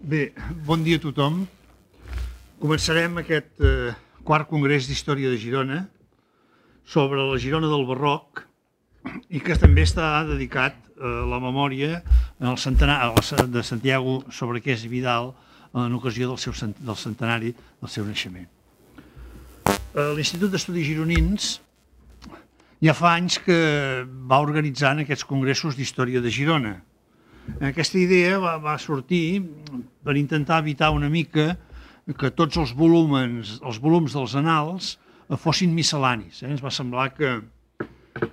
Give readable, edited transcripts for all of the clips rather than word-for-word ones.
Bé, bon dia a tothom. Començarem aquest quart congrés d'Història de Girona sobre la Girona del Barroc i que també està dedicat a la memòria de Santiago Sobrequés i Vidal en ocasió del centenari del seu naixement. L'Institut d'Estudis Gironins ja fa anys que va organitzant aquests congressos d'Història de Girona. Aquesta idea va sortir per intentar evitar una mica que tots els volums dels annals fossin miscel·lanis. Ens va semblar que a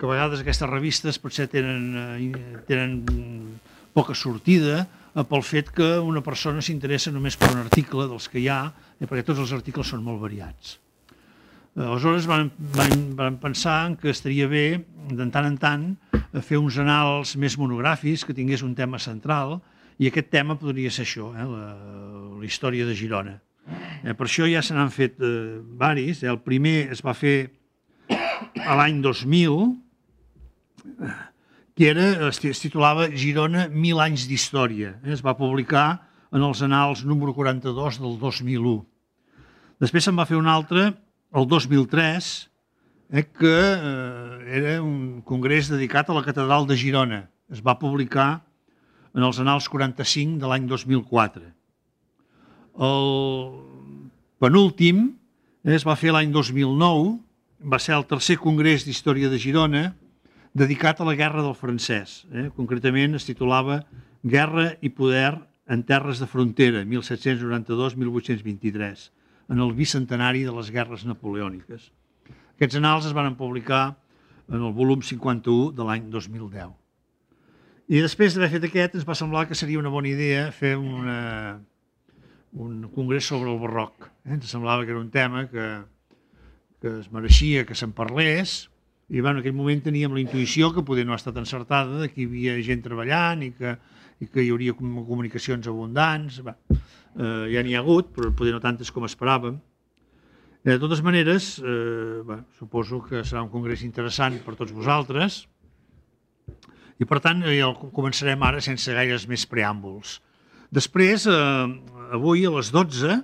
vegades aquestes revistes potser tenen poca sortida pel fet que una persona s'interessa només per un article dels que hi ha, perquè tots els articles són molt variats. Aleshores van pensar que estaria bé, de tant en tant, fer uns annals més monogràfics que tingués un tema central, i aquest tema podria ser això, la història de Girona. Per això ja se n'han fet varis. El primer es va fer a l'any 2000, que es titulava Girona, 1000 anys d'història. Es va publicar en els annals número 42 del 2001. Després se'n va fer un altre, el 2003, que era un congrés dedicat a la catedral de Girona. Es va publicar en els annals 45 de l'any 2004. El penúltim es va fer l'any 2009, va ser el tercer congrés d'Història de Girona dedicat a la Guerra del Francès. Concretament es titulava Guerra i poder en terres de frontera, 1792-1823, en el bicentenari de les guerres napoleòniques. Aquests annals es van publicar en el volum 51 de l'any 2010. I després d'haver fet aquest, ens va semblar que seria una bona idea fer un congrés sobre el barroc. Ens semblava que era un tema que es mereixia que se'n parlés, i en aquell moment teníem la intuïció, que poder no ha estat encertada, que hi havia gent treballant i que hi hauria comunicacions abundants. Ja n'hi ha hagut, però poder no tantes com esperàvem. De totes maneres, suposo que serà un congrés interessant per tots vosaltres, i per tant ja començarem ara sense gaires més preàmbuls. Després, avui a les 12,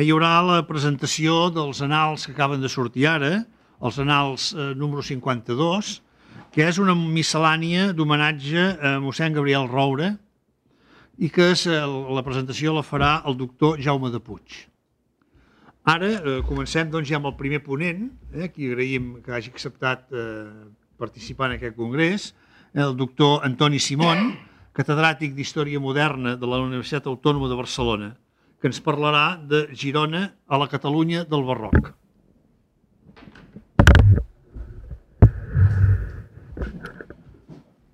hi haurà la presentació dels annals que acaben de sortir ara, els annals número 52, que és una miscel·lània d'homenatge a mossèn Gabriel Roure, i que la presentació la farà el doctor Jaume de Puig. Ara comencem ja amb el primer ponent, qui agraïm que hagi acceptat participar en aquest congrés, el doctor Antoni Simón, catedràtic d'Història Moderna de la Universitat Autònoma de Barcelona, que ens parlarà de Girona a la Catalunya del Barroc.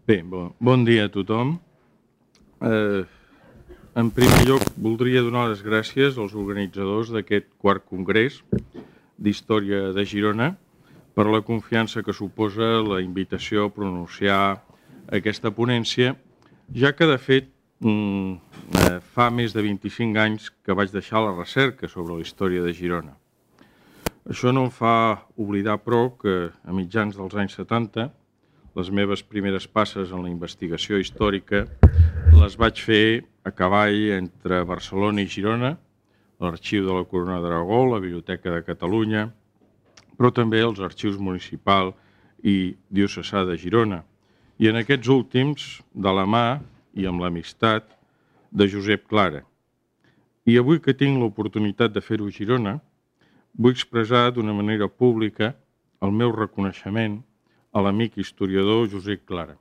Bé, bon dia a tothom. En primer lloc, voldria donar les gràcies als organitzadors d'aquest quart congrés d'Història de Girona per la confiança que suposa la invitació a pronunciar aquesta ponència, ja que, de fet, fa més de 25 anys que vaig deixar la recerca sobre la història de Girona. Això no em fa oblidar, però, que a mitjans dels anys 70 les meves primeres passes en la investigació històrica les vaig fer a cavall entre Barcelona i Girona, l'Arxiu de la Corona d'Aragó, la Biblioteca de Catalunya, però també els arxius municipal i diocesà de Girona. I en aquests últims, de la mà i amb l'amistat de Josep Clara. I avui que tinc l'oportunitat de fer-ho a Girona, vull expressar d'una manera pública el meu reconeixement a l'amic historiador Josep Clara,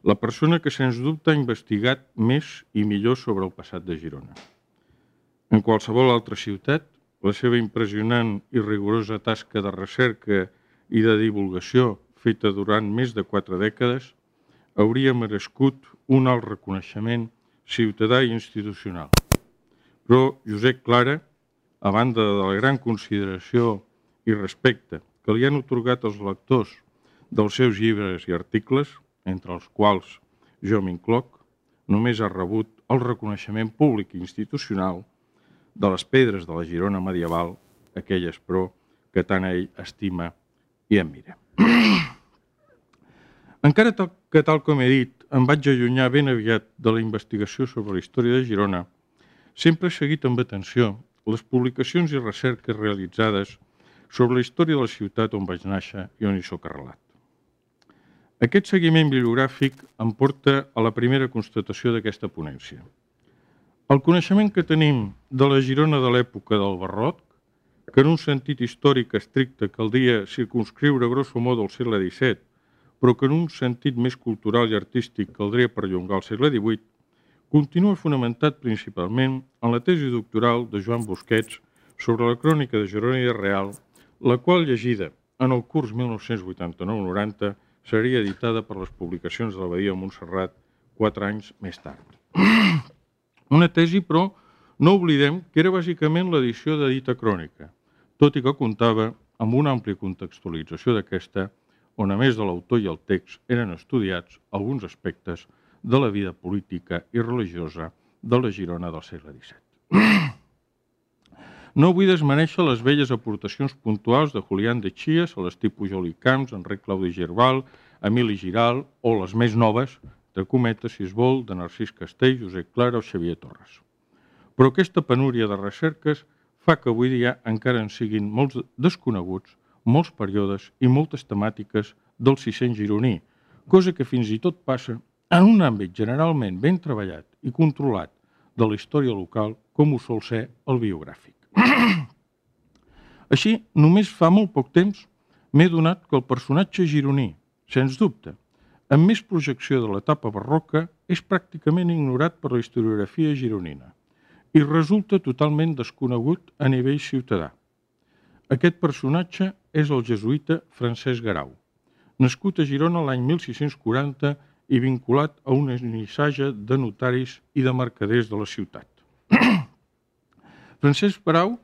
la persona que sens dubte ha investigat més i millor sobre el passat de Girona. En qualsevol altra ciutat, la seva impressionant i rigorosa tasca de recerca i de divulgació feta durant més de 4 dècades hauria merescut un alt reconeixement ciutadà i institucional. Però Josep Clara, a banda de la gran consideració i respecte que li han atorgat els lectors dels seus llibres i articles, entre els quals jo m'incloc, només ha rebut el reconeixement públic i institucional de les pedres de la Girona medieval, aquelles, però, que tant ell estima i admira. Encara que, tal com he dit, em vaig allunyar ben aviat de la investigació sobre la història de Girona, sempre he seguit amb atenció les publicacions i recerques realitzades sobre la història de la ciutat on vaig néixer i on hi soc arrelat. Aquest seguiment bibliogràfic em porta a la primera constatació d'aquesta ponència. El coneixement que tenim de la Girona de l'època del Barroc, que en un sentit històric estricte caldria circunscriure grosso modo al segle XVII, però que en un sentit més cultural i artístic caldria perllongar al segle XVIII, continua fonamentat principalment en la tesi doctoral de Joan Busquets sobre la crònica de Girona i Real, la qual, llegida en el curs 1989-90, seria editada per les publicacions de l'Abadia de Montserrat 4 anys més tard. Una tesi, però, no oblidem que era bàsicament l'edició de dita crònica, tot i que comptava amb una àmplia contextualització d'aquesta, on a més de l'autor i el text eren estudiats alguns aspectes de la vida política i religiosa de la Girona del segle XVII. No vull desmereixer les velles aportacions puntuals de Julián de Chies, Celestí Pujol i Camps, Enric Claudi Girbal, Emili Giral o les més noves, de Cometa, si es vol, de Narcís Castell, Josep Clara o Xavier Torres. Però aquesta penúria de recerques fa que avui dia encara en siguin molts desconeguts, molts períodes i moltes temàtiques del 600 gironí, cosa que fins i tot passa en un àmbit generalment ben treballat i controlat de la història local com ho sol ser el biogràfic. Així, només fa molt poc temps m'he donat que el personatge gironí, sens dubte, amb més projecció de l'etapa barroca, és pràcticament ignorat per la historiografia gironina i resulta totalment desconegut a nivell ciutadà. Aquest personatge és el jesuïta Francesc Garau, nascut a Girona l'any 1640 i vinculat a una nissaga de notaris i de mercaders de la ciutat. Francesc Garau,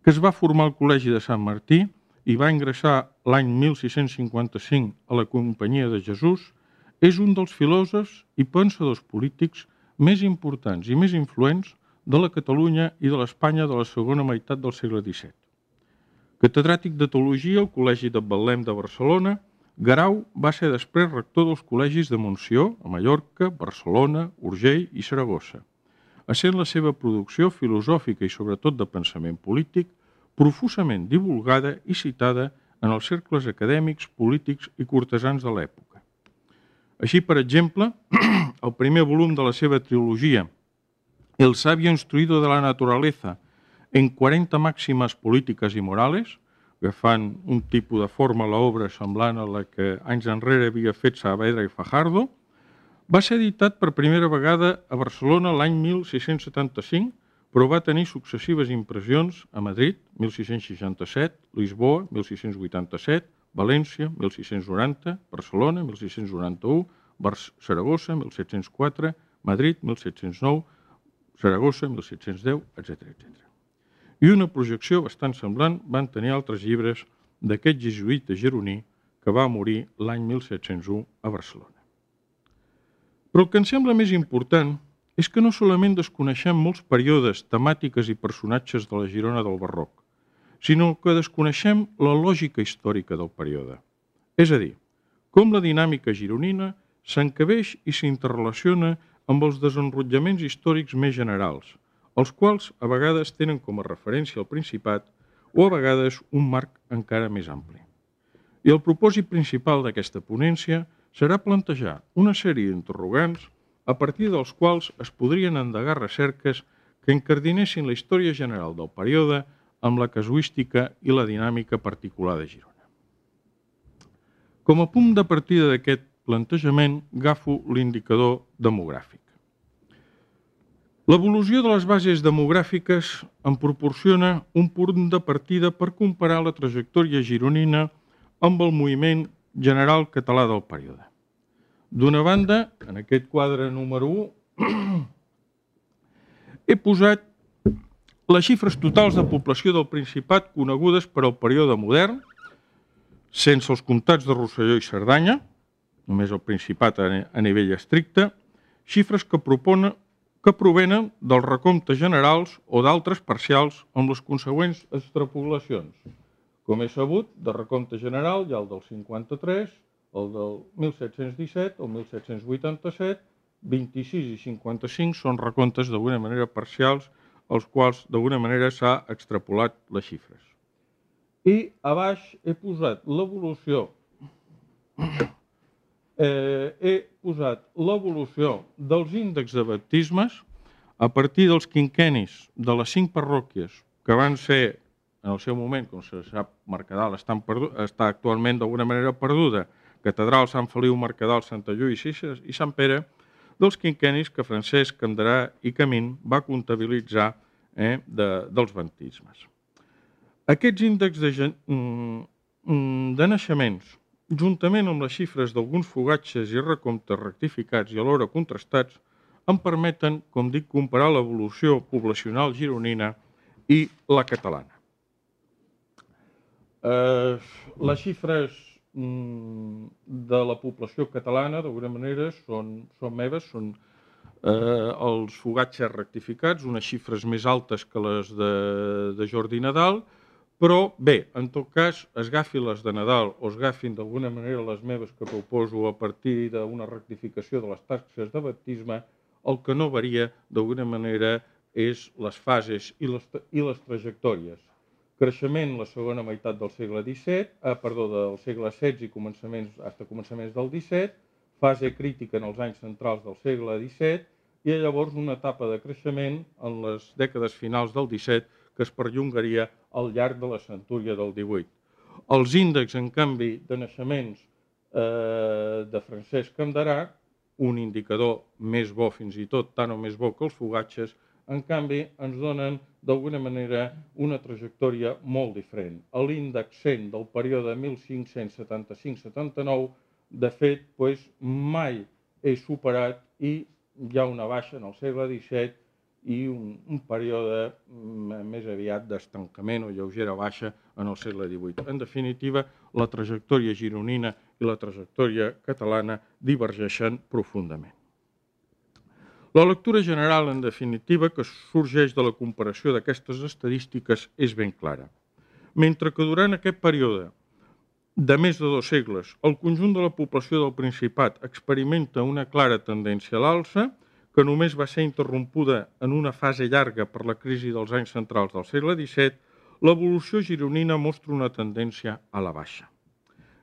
que es va formar al Col·legi de Sant Martí i va ingressar l'any 1655 a la Companyia de Jesús, és un dels filòsofs i pensadors polítics més importants i més influents de la Catalunya i de l'Espanya de la segona meitat del segle XVII. Catedràtic de teologia al Col·legi de Betlem de Barcelona, Garau va ser després rector dels col·legis de Montsió, a Mallorca, Barcelona, Urgell i Saragossa, essent la seva producció filosòfica i sobretot de pensament polític profusament divulgada i citada en els cercles acadèmics, polítics i cortesans de l'època. Així, per exemple, el primer volum de la seva trilogia, El sabio instruido de la naturaleza, en 40 màximes polítiques i morales, que fan un tipus de forma a l'obra semblant a la que anys enrere havia fet Saavedra i Fajardo, va ser editat per primera vegada a Barcelona l'any 1675, però va tenir successives impressions a Madrid, 1667, Lisboa, 1687, València, 1690, Barcelona, 1691, Saragossa, 1704, Madrid, 1709, Saragossa, 1710, etc. I una projecció bastant semblant van tenir altres llibres d'aquest jesuïta gironí que va morir l'any 1701 a Barcelona. Però el que em sembla més important és que no solament desconeixem molts períodes, temàtiques i personatges de la Girona del Barroc, sinó que desconeixem la lògica històrica del període. És a dir, com la dinàmica gironina s'encabeix i s'interrelaciona amb els desenrotllaments històrics més generals, els quals a vegades tenen com a referència el Principat o a vegades un marc encara més ampli. I el propòsit principal d'aquesta ponència serà plantejar una sèrie d'interrogants a partir dels quals es podrien endegar recerques que encardinessin la història general del període amb la casuística i la dinàmica particular de Girona. Com a punt de partida d'aquest plantejament, agafo l'indicador demogràfic. L'evolució de les bases demogràfiques em proporciona un punt de partida per comparar la trajectòria gironina amb el moviment general català del període. D'una banda, en aquest quadre número 1, he posat les xifres totals de població del Principat conegudes per al període modern, sense els comtats de Rosselló i Cerdanya, només el Principat a nivell estricte, xifres que provenen dels recomptes generals o d'altres parcials amb les consegüents extrapolacions. Com és sabut, de recompte general hi ha el del 53, el del 1717, el 1787 26 i 55 són recomptes d'alguna manera parcials, als quals d'alguna manera s'ha extrapolat les xifres. I a baix he posat l'evolució dels índexs de baptismes a partir dels quinquennis de les 5 parròquies que van ser, en el seu moment, com se sap, Mercadal està actualment d'alguna manera perduda, Catedral, Sant Feliu, Mercadal, Santa Lluís i Sant Pere, dels quinquennis que Francesc Canderà i Camín va comptabilitzar dels baptismes. Aquests índexs de naixements, juntament amb les xifres d'alguns fogatges i recomptes rectificats i alhora contrastats, em permeten, com dic, comparar l'evolució poblacional gironina i la catalana. Les xifres de la població catalana, d'alguna manera, són meves, són els fogatges rectificats, unes xifres més altes que les de Jordi Nadal, però bé, en tot cas, es agafi les de Nadal o es agafin d'alguna manera les meves que proposo a partir d'una rectificació de les taxes de baptisme, el que no varia d'alguna manera és les fases i les trajectòries. Creixement la segona meitat del segle del segle XVI i començaments del XVII, fase crítica en els anys centrals del segle XVII i llavors una etapa de creixement en les dècades finals del XVII que es perllongaria al llarg de la centúria del XVIII. Els índexs, en canvi, de naixements de Francesc Canderà, un indicador més bo fins i tot, tant o més bo que els fogatges, en canvi ens donen d'alguna manera una trajectòria molt diferent. L'índex 100 del període 1575-79, de fet, mai és superat i hi ha una baixa en el segle XVII i un període més aviat d'estancament o lleugera baixa en el segle XVIII. En definitiva, la trajectòria gironina i la trajectòria catalana divergeixen profundament. La lectura general, en definitiva, que sorgeix de la comparació d'aquestes estadístiques és ben clara. Mentre que durant aquest període de més de 2 segles, el conjunt de la població del Principat experimenta una clara tendència a l'alça, que només va ser interrompuda en una fase llarga per la crisi dels anys centrals del segle XVII, l'evolució gironina mostra una tendència a la baixa.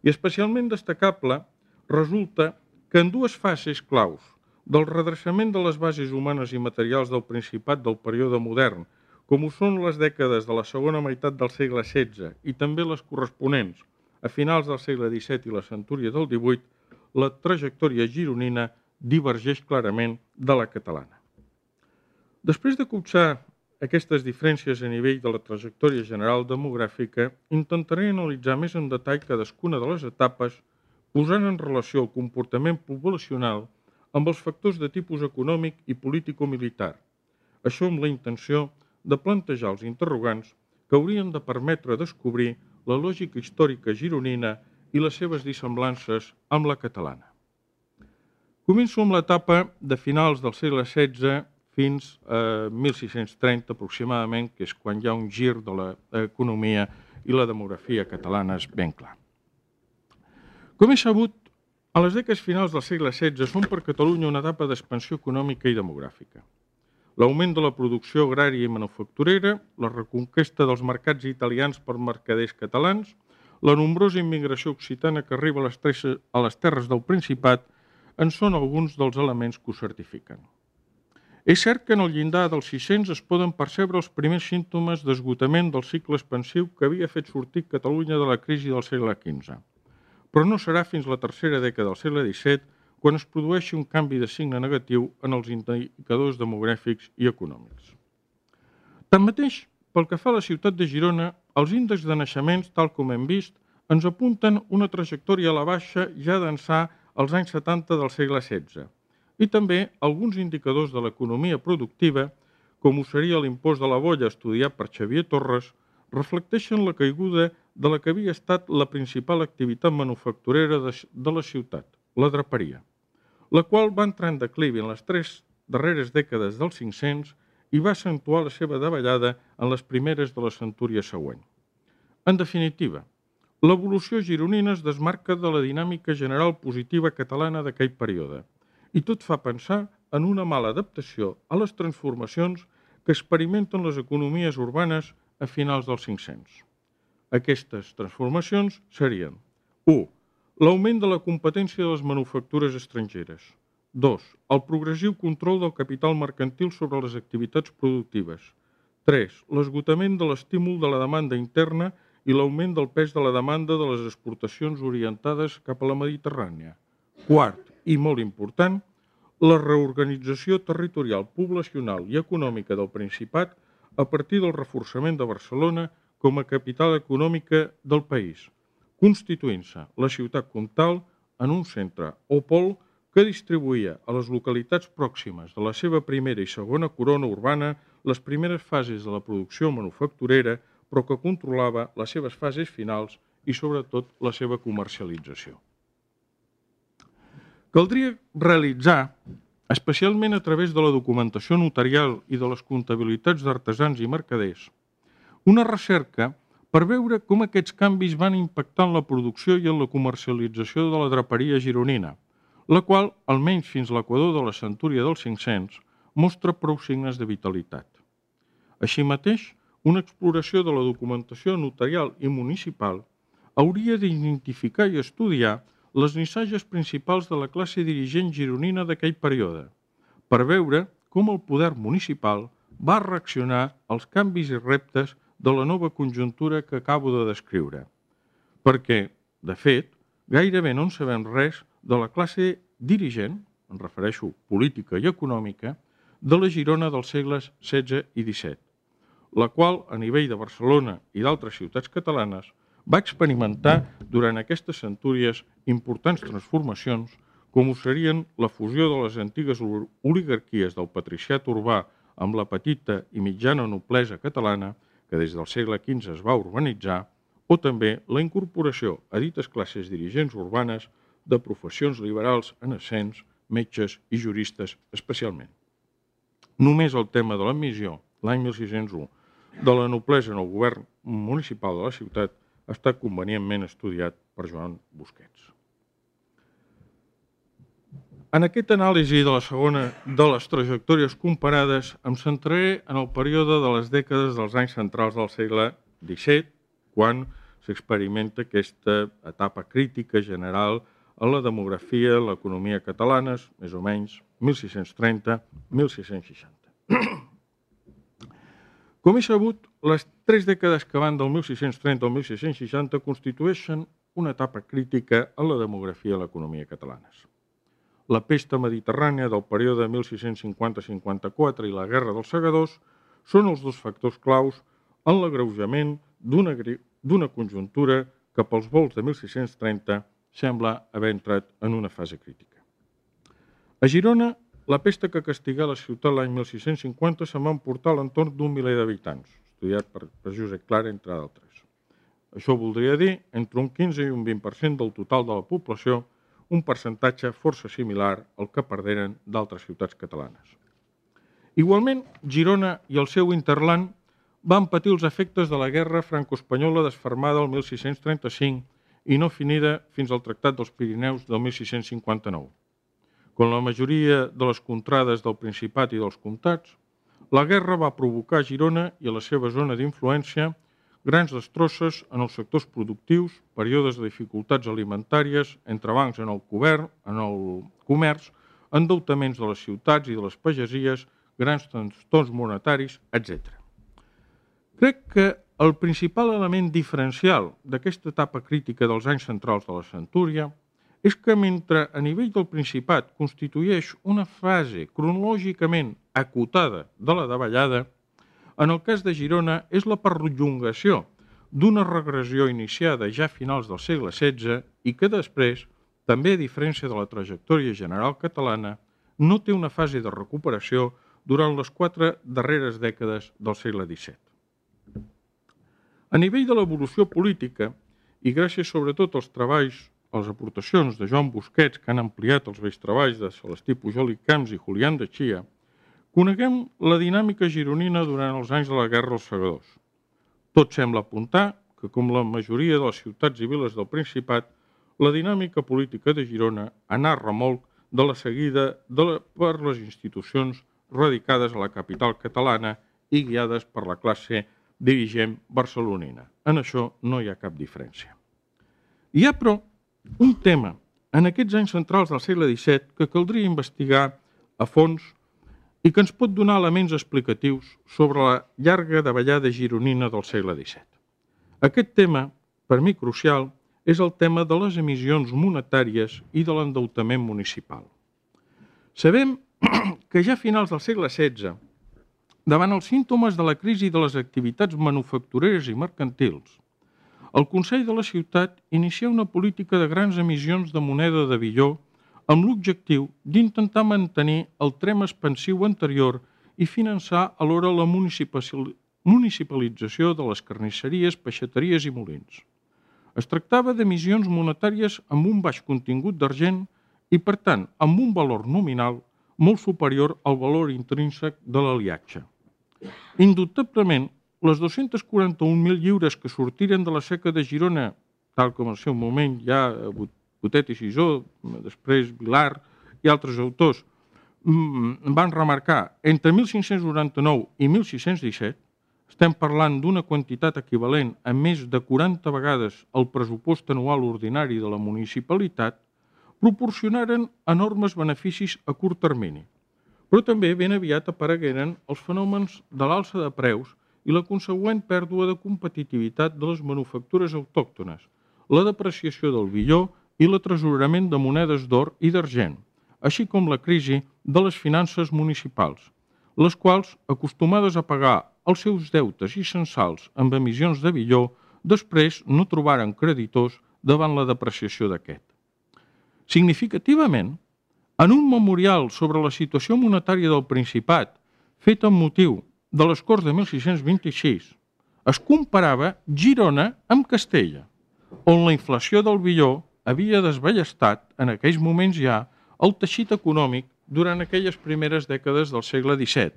I especialment destacable resulta que en 2 fases claus del redreçament de les bases humanes i materials del Principat del període modern, com ho són les dècades de la segona meitat del segle XVI i també les corresponents a finals del segle XVII i la centúria del XVIII, la trajectòria gironina divergeix clarament de la catalana. Després de copsar aquestes diferències a nivell de la trajectòria general demogràfica, intentaré analitzar més en detall cadascuna de les etapes, posant en relació el comportament poblacional amb els factors de tipus econòmic i político-militar. Això amb la intenció de plantejar els interrogants que haurien de permetre descobrir la lògica històrica gironina i les seves dissemblances amb la catalana. Començo amb l'etapa de finals del segle XVI fins a 1630 aproximadament, que és quan hi ha un gir de l'economia i la demografia catalana és ben clar. Com és sabut, a les dècades finals del segle XVI són per Catalunya una etapa d'expansió econòmica i demogràfica. L'augment de la producció agrària i manufacturera, la reconquesta dels mercats italians per mercaders catalans, la nombrosa immigració occitana que arriba a les terres del Principat en són alguns dels elements que ho certifiquen. És cert que en el llindar dels 600 es poden percebre els primers símptomes d'esgotament del cicle expansiu que havia fet sortir Catalunya de la crisi del segle XV, però no serà fins la tercera dècada del segle XVII quan es produeixi un canvi de signe negatiu en els indicadors demogràfics i econòmics. Tanmateix, pel que fa a la ciutat de Girona, els índexs de naixements, tal com hem vist, ens apunten una trajectòria a la baixa ja d'ençà als anys 70 del segle XVI, i també alguns indicadors de l'economia productiva, com ho seria l'impost de la bolla estudiat per Xavier Torres, reflecteixen la caiguda de la que havia estat la principal activitat manufacturera de la ciutat, la draperia, la qual va entrar en declivi en les 3 darreres dècades dels 500 i va accentuar la seva davallada en les primeres de la centúria següent. En definitiva, l'evolució gironina es desmarca de la dinàmica general positiva catalana d'aquell període i tot fa pensar en una mala adaptació a les transformacions que experimenten les economies urbanes a finals dels 500. Aquestes transformacions serien 1. L'augment de la competència de les manufactures estrangeres. 2. El progressiu control del capital mercantil sobre les activitats productives. 3. L'esgotament de l'estímul de la demanda interna i l'augment del pes de la demanda de les exportacions orientades cap a la Mediterrània. 4. I molt important, la reorganització territorial, poblacional i econòmica del Principat a partir del reforçament de Barcelona com a capital econòmica del país, constituint-se la ciutat comtal en un centre o pol que distribuïa a les localitats pròximes de la seva primera i segona corona urbana les primeres fases de la producció manufacturera, però que controlava les seves fases finals i, sobretot, la seva comercialització. Caldria realitzar, especialment a través de la documentació notarial i de les comptabilitats d'artesans i mercaders, una recerca per veure com aquests canvis van impactar en la producció i en la comercialització de la draperia gironina, la qual, almenys fins a l'equador de la centúria dels 500, mostra prou signes de vitalitat. Així mateix, una exploració de la documentació notarial i municipal hauria d'identificar i estudiar les missatges principals de la classe dirigent gironina d'aquell període, per veure com el poder municipal va reaccionar als canvis i reptes de la nova conjuntura que acabo de descriure. Perquè, de fet, gairebé no en sabem res de la classe dirigent, em refereixo política i econòmica, de la Girona dels segles XVI i XVII, la qual, a nivell de Barcelona i d'altres ciutats catalanes, va experimentar durant aquestes centúries importants transformacions, com ho serien la fusió de les antigues oligarquies del patriciat urbà amb la petita i mitjana noblesa catalana, que des del segle XV es va urbanitzar, o també la incorporació a dites classes dirigents urbanes de professions liberals en ascens, metges i juristes especialment. Només el tema de l'admissió, l'any 1601, de la noblesa en el govern municipal de la ciutat ha estat convenientment estudiat per Joan Busquets. En aquesta anàlisi de la segona de les trajectòries comparades em centraré en el període de les dècades dels anys centrals del segle XVII, quan s'experimenta aquesta etapa crítica general a la demografia, l'economia catalanes, més o menys 1630-1660. Com és sabut, les 3 dècades que van del 1630 al 1660 constitueixen una etapa crítica en la demografia i l'economia catalanes. La pesta mediterrània del període 1650-54 i la Guerra dels Segadors són els dos factors claus en l'agreujament d'una conjuntura que pels volts de 1630 sembla haver entrat en una fase crítica. A Girona, la pesta que castigà la ciutat l'any 1650 se'n va emportar a l'entorn d'un miler d'habitants, estudiat per Josep Clara, entre d'altres. Això voldria dir entre un 15 i un 20% del total de la població, un percentatge força similar al que perderen d'altres ciutats catalanes. Igualment, Girona i el seu interland van patir els efectes de la guerra franco-espanyola desfermada el 1635 i no finida fins al Tractat dels Pirineus del 1659. Com la majoria de les contrades del Principat i dels comtats, la guerra va provocar a Girona i a la seva zona d'influència grans destrosses en els sectors productius, períodes de dificultats alimentàries, entrebancs en el comerç, endeutaments de les ciutats i de les pagesies, grans trastorns monetaris, etc. Crec que el principal element diferencial d'aquesta etapa crítica dels anys centrals de la centúria és que mentre a nivell del Principat constitueix una fase cronològicament acotada de la davallada, en el cas de Girona és la perllongació d'una regressió iniciada ja a finals del segle XVI i que després, també a diferència de la trajectòria general catalana, no té una fase de recuperació durant les 4 darreres dècades del segle XVII. A nivell de l'evolució política, i gràcies sobretot als treballs, a les aportacions de Joan Busquets, que han ampliat els vells treballs de Celestí Pujol i Camps i Julián de Chia, coneguem la dinàmica gironina durant els anys de la Guerra dels Segadors. Tot sembla apuntar que, com la majoria de les ciutats i viles del Principat, la dinàmica política de Girona anà a remolc de la seguida per les institucions radicades a la capital catalana i guiades per la classe dirigent barcelonina. En això no hi ha cap diferència. Hi ha, però, un tema en aquests anys centrals del segle XVII que caldria investigar a fons i que ens pot donar elements explicatius sobre la llarga davallada gironina del segle XVII. Aquest tema, per mi crucial, és el tema de les emissions monetàries i de l'endeutament municipal. Sabem que ja a finals del segle XVI, davant els símptomes de la crisi de les activitats manufactureres i mercantils, el Consell de la Ciutat inicia una política de grans emissions de moneda de billó amb l'objectiu d'intentar mantenir el tren expansiu anterior i finançar alhora la municipalització de les carnisseries, peixateries i molins. Es tractava d'emissions monetàries amb un baix contingut d'argent i, per tant, amb un valor nominal molt superior al valor intrínsec de l'aliatge. Indubtablement, les 241.000 lliures que sortiren de la seca de Girona, tal com al seu moment ja Botet i Sisó, després Vilar i altres autors, van remarcar entre 1599 i 1617, estem parlant d'una quantitat equivalent a més de 40 vegades el pressupost anual ordinari de la municipalitat, proporcionaren enormes beneficis a curt termini. Però també ben aviat aparegueren els fenòmens de l'alça de preus i la consegüent pèrdua de competitivitat de les manufactures autòctones, la depreciació del billó i l'atresorament de monedes d'or i d'argent, així com la crisi de les finances municipals, les quals, acostumades a pagar els seus deutes i censals amb emissions de billó, després no trobaren creditors davant la depreciació d'aquest. Significativament, en un memorial sobre la situació monetària del Principat, fet amb motiu de les Corts de 1626, es comparava Girona amb Castella, on la inflació del billó havia desballestat en aquells moments ja el teixit econòmic durant aquelles primeres dècades del segle XVII,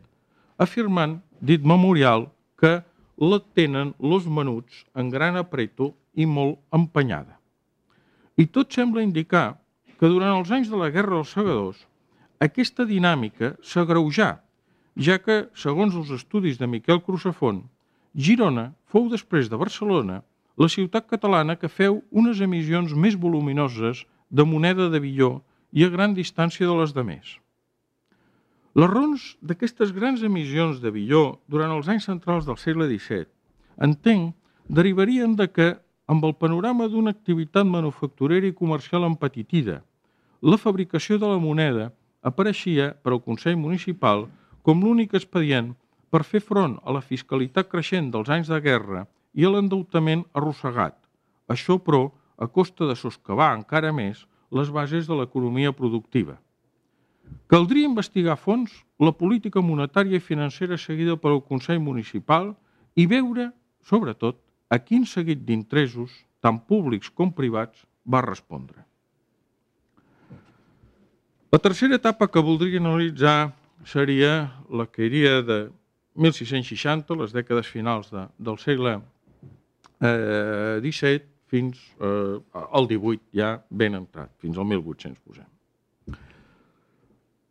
afirmant, dit memorial, que la tenen los menuts en gran apreto i molt empenyada. I tot sembla indicar que durant els anys de la Guerra dels Segadors aquesta dinàmica s'agreujà, ja que, segons els estudis de Miquel Crusafont, Girona fou després de Barcelona la ciutat catalana que feu unes emissions més voluminoses de moneda de billó i a gran distància de les demés. Les raons d'aquestes grans emissions de billó durant els anys centrals del segle XVII, entenc, derivarien de que, amb el panorama d'una activitat manufacturera i comercial empetitida, la fabricació de la moneda apareixia per al Consell Municipal com l'únic expedient per fer front a la fiscalitat creixent dels anys de guerra i a l'endeutament arrossegat. Això, però, a costa de soscavar encara més les bases de l'economia productiva. Caldria investigar a fons la política monetària i financera seguida per al Consell Municipal i veure, sobretot, a quin seguit d'interessos, tant públics com privats, va respondre. La tercera etapa que voldria analitzar seria la que iria de 1660, les dècades finals del segle XVII, fins al XVIII, ja ben entrat, fins al 1800, posem.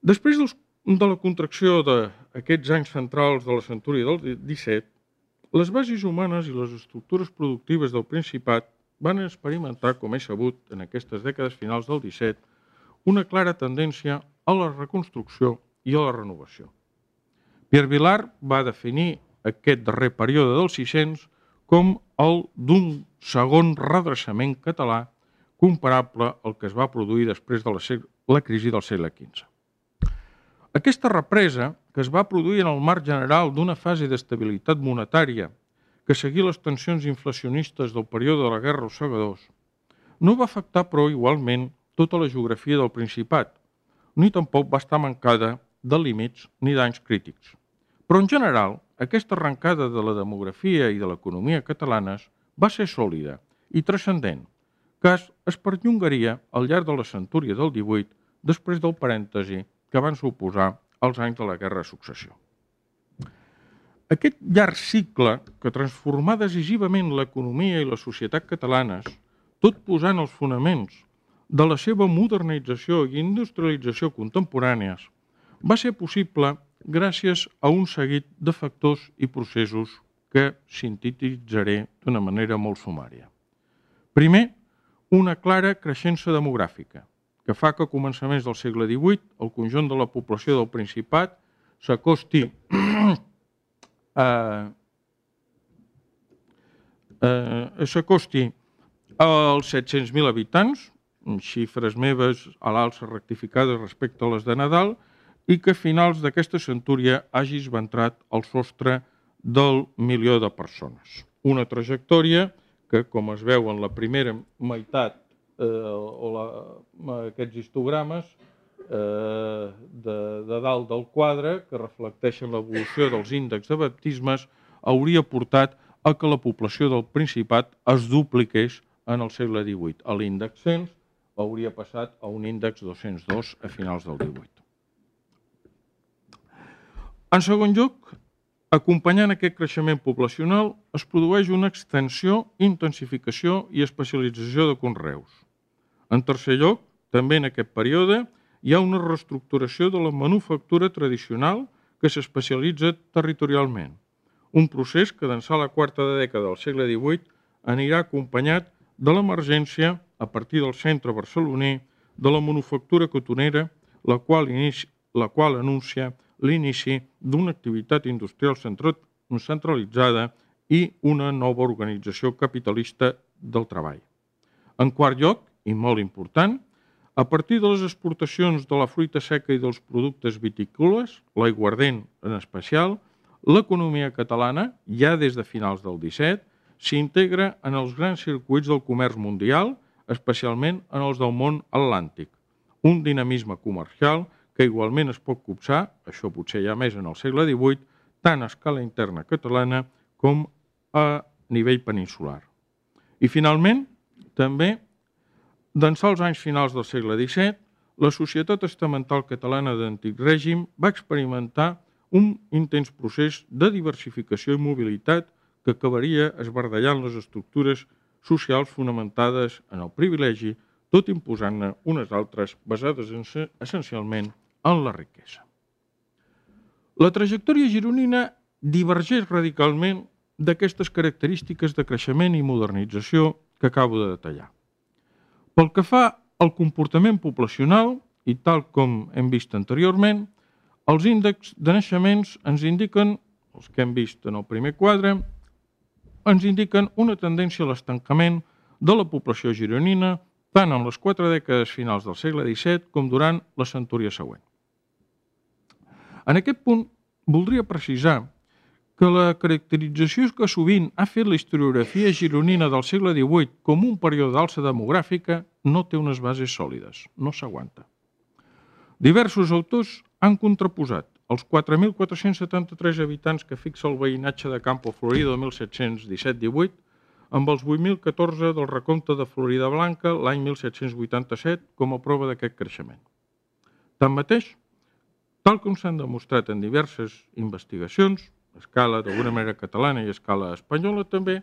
Després de la contracció d'aquests anys centrals de la centúria del XVII, les bases humanes i les estructures productives del Principat van experimentar, com és sabut, en aquestes dècades finals del XVII, una clara tendència a la reconstrucció i a la renovació. Pierre Vilar va definir aquest darrer període dels 600 com el d'un segon redreçament català comparable al que es va produir després de la crisi del segle XV. Aquesta represa, que es va produir en el marc general d'una fase d'estabilitat monetària que seguia les tensions inflacionistes del període de la Guerra dels Segadors, no va afectar, però, igualment, tota la geografia del Principat, ni tampoc va estar mancada de límits ni danys crítics. Però, en general, aquesta arrencada de la demografia i de l'economia catalanes va ser sòlida i transcendent, que es perllongaria al llarg de la centúria del XVIII després del parèntesi que van suposar els anys de la Guerra de Successió. Aquest llarg cicle que transformà decisivament l'economia i la societat catalanes, tot posant els fonaments de la seva modernització i industrialització contemporànies va ser possible gràcies a un seguit de factors i processos que sintetitzaré d'una manera molt sumària. Primer, una clara creixença demogràfica, que fa que a començaments del segle XVIII el conjunt de la població del Principat s'acosti als 700.000 habitants, xifres meves a l'alça rectificades respecte a les de Nadal, i que a finals d'aquesta centúria hagi esventrat el sostre del 1.000.000 de persones. Una trajectòria que, com es veu en la primera meitat aquests histogrames de dalt del quadre, que reflecteixen l'evolució dels índexs de baptismes, hauria portat a que la població del Principat es dupliqués en el segle XVIII. L'índex 100 hauria passat a un índex 202 a finals del XVIII. En segon lloc, acompanyant aquest creixement poblacional, es produeix una extensió, intensificació i especialització de conreus. En tercer lloc, també en aquest període, hi ha una reestructuració de la manufactura tradicional que s'especialitza territorialment. Un procés que d'ençà la quarta dècada del segle XVIII anirà acompanyat de l'emergència, a partir del centre barceloní, de la manufactura cotonera, la qual anuncia l'inici d'una activitat industrial centralitzada i una nova organització capitalista del treball. En quart lloc, i molt important, a partir de les exportacions de la fruita seca i dels productes vitícoles, l'aiguardent en especial, l'economia catalana, ja des de finals del XVII, s'integra en els grans circuits del comerç mundial, especialment en els del món atlàntic. Un dinamisme comercial que igualment es pot copsar, això potser ja més en el segle XVIII, tant a escala interna catalana com a nivell peninsular. I finalment, també, d'ençà els anys finals del segle XVII, la societat estamental catalana d'antic règim va experimentar un intens procés de diversificació i mobilitat que acabaria esbardallant les estructures socials fonamentades en el privilegi, tot imposant-ne unes altres basades essencialment en la riquesa. La trajectòria gironina divergeix radicalment d'aquestes característiques de creixement i modernització que acabo de detallar. Pel que fa al comportament poblacional, i tal com hem vist anteriorment, els índexs de naixements ens indiquen, els que hem vist en el primer quadre, ens indiquen una tendència a l'estancament de la població gironina tant en les 4 dècades finals del segle XVII com durant la centúria següent. En aquest punt, voldria precisar que la caracterització que sovint ha fet la historiografia gironina del segle XVIII com un període d'alça demogràfica no té unes bases sòlides, no s'aguanta. Diversos autors han contraposat els 4.473 habitants que fixa el veïnatge de Campo Florido de 1717-18 amb els 8.014 del recompte de Floridablanca l'any 1787 com a prova d'aquest creixement. Tanmateix, tal com s'han demostrat en diverses investigacions, a escala d'alguna manera catalana i a escala espanyola també,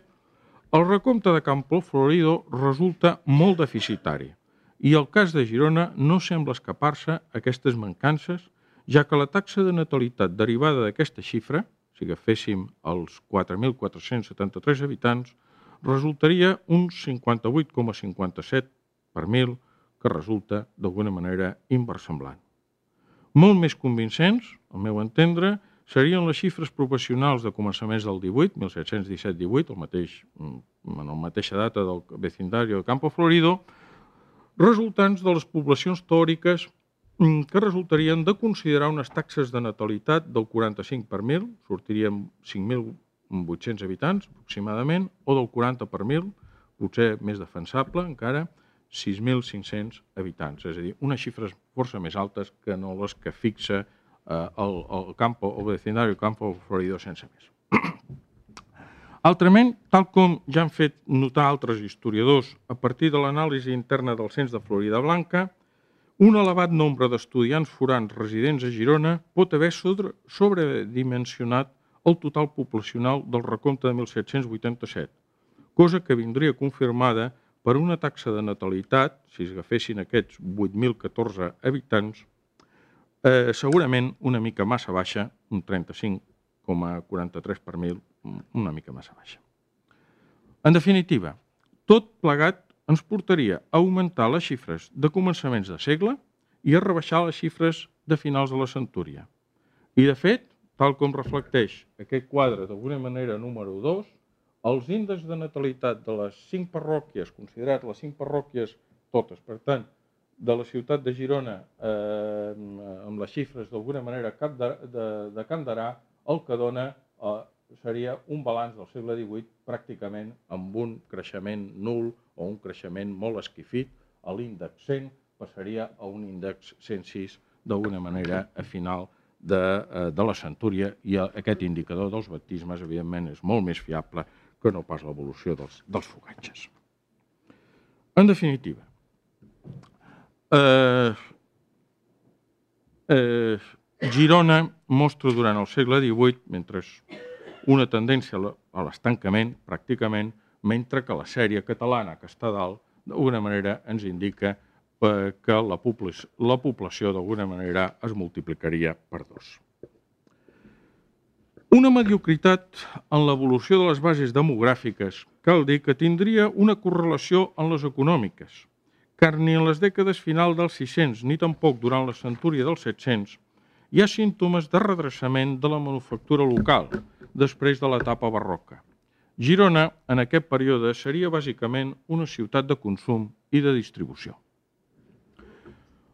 el recompte de Campo Florido resulta molt deficitari i el cas de Girona no sembla escapar-se a aquestes mancances, ja que la taxa de natalitat derivada d'aquesta xifra, si agaféssim els 4.473 habitants, resultaria un 58,57 per 1.000, que resulta d'alguna manera inversemblant. Molt més convincents, al meu entendre, serien les xifres professionals de començaments del 18, 1717-18, en la mateixa data del vecindario de Campo Florido, resultants de les poblacions teòriques que resultarien de considerar unes taxes de natalitat del 45 per 1.000, sortirien 5.800 habitants aproximadament, o del 40 per 1.000, potser més defensable encara, 6.500 habitants, és a dir, unes xifres força més altes que no les que fixa el vecindario Campo Florido sense més. Altrament, tal com ja han fet notar altres historiadors a partir de l'anàlisi interna del cens de Floridablanca, un elevat nombre d'estudiants forans residents a Girona pot haver sobredimensionat el total poblacional del recompte de 1787, cosa que vindria confirmada per una taxa de natalitat, si es agafessin aquests 8.014 habitants, segurament una mica massa baixa, un 35,43 per mil, una mica massa baixa. En definitiva, tot plegat ens portaria a augmentar les xifres de començaments de segle i a rebaixar les xifres de finals de la centúria. I, de fet, tal com reflecteix aquest quadre d'alguna manera número 2, els índexs de natalitat de les 5 parròquies, considerat les 5 parròquies totes, per tant, de la ciutat de Girona, amb les xifres d'alguna manera de Can Darà, el que dona seria un balanç del segle XVIII pràcticament amb un creixement nul o un creixement molt esquifit. L'índex 100 passaria a un índex 106 d'alguna manera a final de la centúria, i aquest indicador dels baptismes, evidentment, és molt més fiable que no pas l'evolució dels fogatges. En definitiva, Girona mostra durant el segle XVIII, mentre una tendència a l'estancament, pràcticament, mentre que la sèrie catalana que està dalt, d'alguna manera ens indica que la població d'alguna manera es multiplicaria per 2. Una mediocritat en l'evolució de les bases demogràfiques cal dir que tindria una correlació en les econòmiques, car ni en les dècades final dels 600 ni tampoc durant la centúria dels 700 hi ha símptomes de redreçament de la manufactura local després de l'etapa barroca. Girona, en aquest període, seria bàsicament una ciutat de consum i de distribució.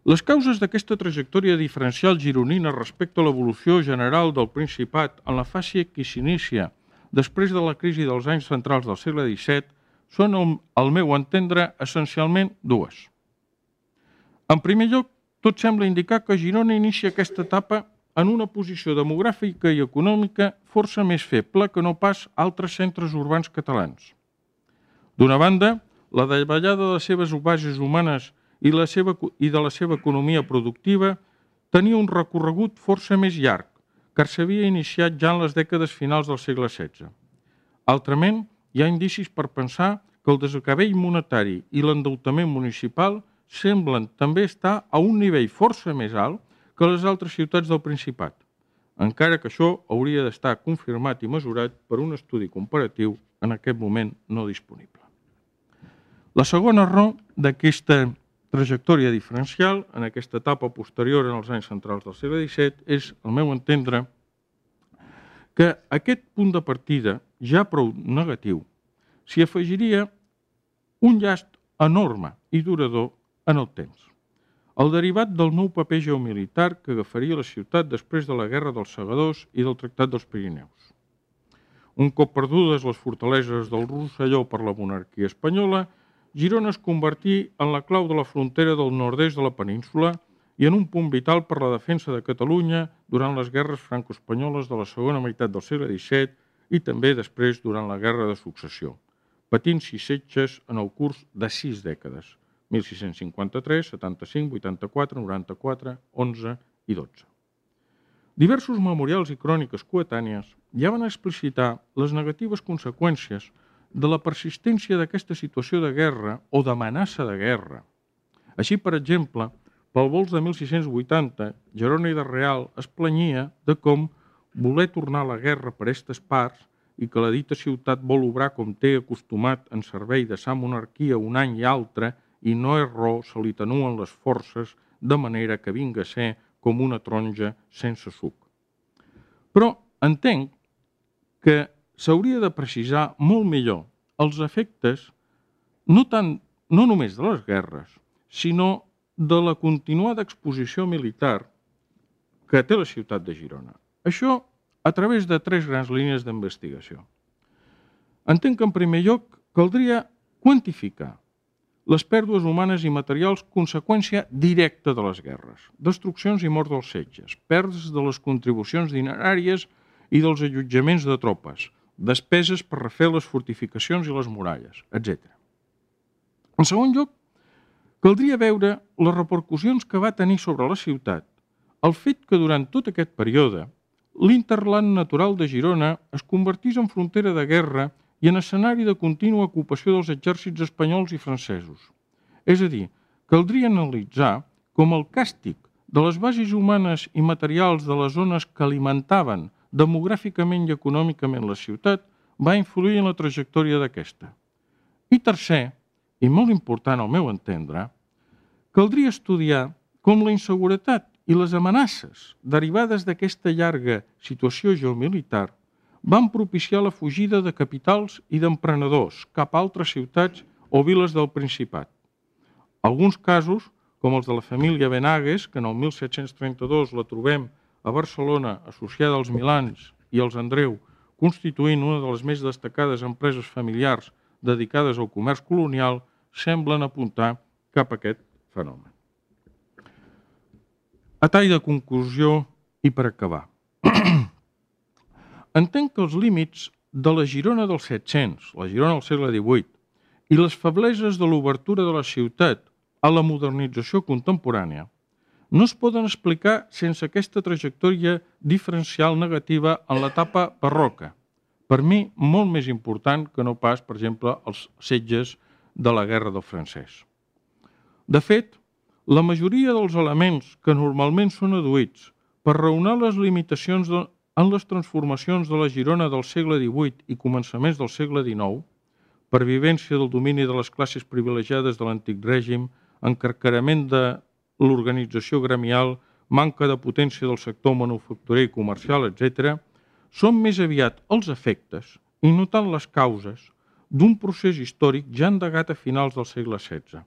Les causes d'aquesta trajectòria diferencial gironina respecte a l'evolució general del Principat en la fase que s'inicia després de la crisi dels anys centrals del segle XVII són, al meu entendre, essencialment dues. En primer lloc, tot sembla indicar que Girona inicia aquesta etapa en una posició demogràfica i econòmica força més feble que no pas altres centres urbans catalans. D'una banda, la davallada de les seves bases humanes i de la seva economia productiva tenia un recorregut força més llarg, car s'havia iniciat ja en les dècades finals del segle XVI. Altrament, hi ha indicis per pensar que el desgavell monetari i l'endeutament municipal semblen també estar a un nivell força més alt que les altres ciutats del Principat, encara que això hauria d'estar confirmat i mesurat per un estudi comparatiu en aquest moment no disponible. La segona raó d'aquesta trajectòria diferencial en aquesta etapa posterior en els anys centrals del segle XVII és, al meu entendre, que a aquest punt de partida, ja prou negatiu, s'hi afegiria un llast enorme i durador en el temps. El derivat del nou paper geomilitar que agafaria la ciutat després de la Guerra dels Segadors i del Tractat dels Pirineus. Un cop perdudes les fortaleses del Rosselló per la monarquia espanyola, Girona es convertí en la clau de la frontera del nord-est de la península i en un punt vital per la defensa de Catalunya durant les guerres franco-espanyoles de la segona meitat del segle XVII i també després durant la Guerra de Successió, patint 6 setges en el curs de 6 dècades, 1653, 75, 84, 94, 11 i 12. Diversos memorials i cròniques coetànies ja van explicitar les negatives conseqüències de la persistència d'aquesta situació de guerra o d'amenaça de guerra. Així, per exemple, pel vols de 1680, Jeroni de Real es planyia de com voler tornar a la guerra per aquestes parts i que la dita ciutat vol obrar com té acostumat en servei de sa monarquia un any i altre i no és raó se li tenuen les forces de manera que vinga a ser com una taronja sense suc. Però entenc que s'hauria de precisar molt millor els efectes no només de les guerres, sinó de la continuada exposició militar que té la ciutat de Girona. Això a través de 3 grans línies d'investigació. Entenc que, en primer lloc, caldria quantificar les pèrdues humanes i materials conseqüència directa de les guerres, destruccions i mort dels setges, pèrdues de les contribucions dineràries i dels allotjaments de tropes, despeses per refer les fortificacions i les muralles, etc. En segon lloc, caldria veure les repercussions que va tenir sobre la ciutat el fet que durant tot aquest període l'interland natural de Girona es convertís en frontera de guerra i en escenari de contínua ocupació dels exèrcits espanyols i francesos. És a dir, caldria analitzar com el càstig de les bases humanes i materials de les zones que alimentaven demogràficament i econòmicament la ciutat va influir en la trajectòria d'aquesta. I tercer, i molt important al meu entendre, caldria estudiar com la inseguretat i les amenaces derivades d'aquesta llarga situació geomilitar van propiciar la fugida de capitals i d'emprenedors cap a altres ciutats o viles del Principat. Alguns casos, com els de la família Benagues, que en el 1732 la trobem a Barcelona associada als Milans i als Andreu, constituint una de les més destacades empreses familiars dedicades al comerç colonial, semblen apuntar cap a aquest fenomen. A tall de conclusió i per acabar. Entenc que els límits de la Girona dels 700, la Girona del segle XVIII, i les febleses de l'obertura de la ciutat a la modernització contemporània no es poden explicar sense aquesta trajectòria diferencial negativa en l'etapa barroca, per mi molt més important que no pas, per exemple, els setges de la Guerra del Francès. De fet, la majoria dels elements que normalment són adduïts per raonar les limitacions en les transformacions de la Girona del segle XVIII i començaments del segle XIX, pervivència del domini de les classes privilegiades de l'antic règim, encarcarament de l'organització gremial, manca de potència del sector manufacturer i comercial, etc., són més aviat els efectes, i no tant les causes, d'un procés històric ja endegat a finals del segle XVI.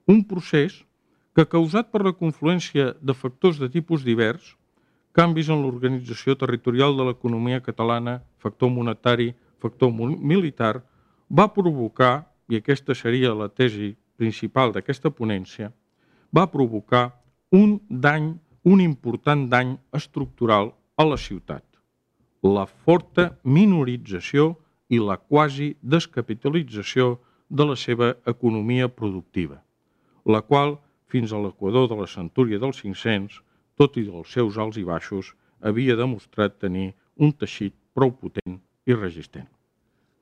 Un procés que, causat per la confluència de factors de tipus divers, canvis en l'organització territorial de l'economia catalana, factor monetari, factor militar, va provocar, i aquesta seria la tesi principal d'aquesta ponència, va provocar un important dany estructural a la ciutat, la forta minorització i la quasi descapitalització de la seva economia productiva, la qual, fins a l'equador de la centúria dels 500, tot i dels seus alts i baixos, havia demostrat tenir un teixit prou potent i resistent.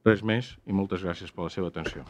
Res més i moltes gràcies per la seva atenció.